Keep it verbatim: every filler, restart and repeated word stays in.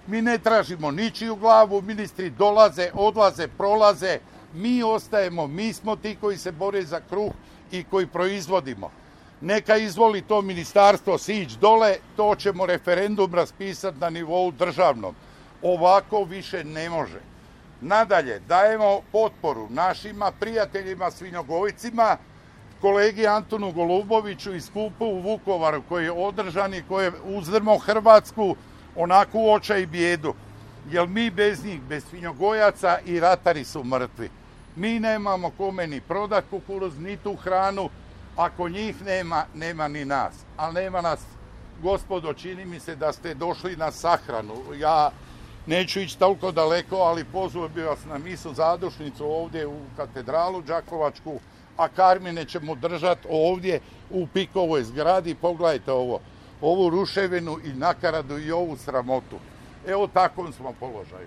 Mi ne tražimo ničiju glavu, ministri dolaze, odlaze, prolaze, mi ostajemo, mi smo ti koji se bore za kruh i koji proizvodimo. Neka izvoli to ministarstvo sić dole, to ćemo referendum raspisati na nivou državnom. Ovako više ne može. Nadalje, dajemo potporu našima prijateljima svinjogojcima, kolegi Antonu Goluboviću iz skupa u Vukovaru koji je održan i koji je uzdrmao Hrvatsku onako u očaj i bijedu. Jer mi bez njih, bez svinjogojaca i ratari su mrtvi. Mi nemamo kome ni prodat kukuruz, ni tu hranu. Ako njih nema, nema ni nas. Ali nema nas, gospodo, čini mi se da ste došli na sahranu. Ja neću ići toliko daleko, ali pozvao bi vas na misu zadušnicu ovdje u katedralu Đakovačku, a Karmine ćemo držati ovdje u Pikovoj zgradi. Pogledajte ovo, ovu ruševinu i nakaradu i ovu sramotu. Evo, takvom smo položaju.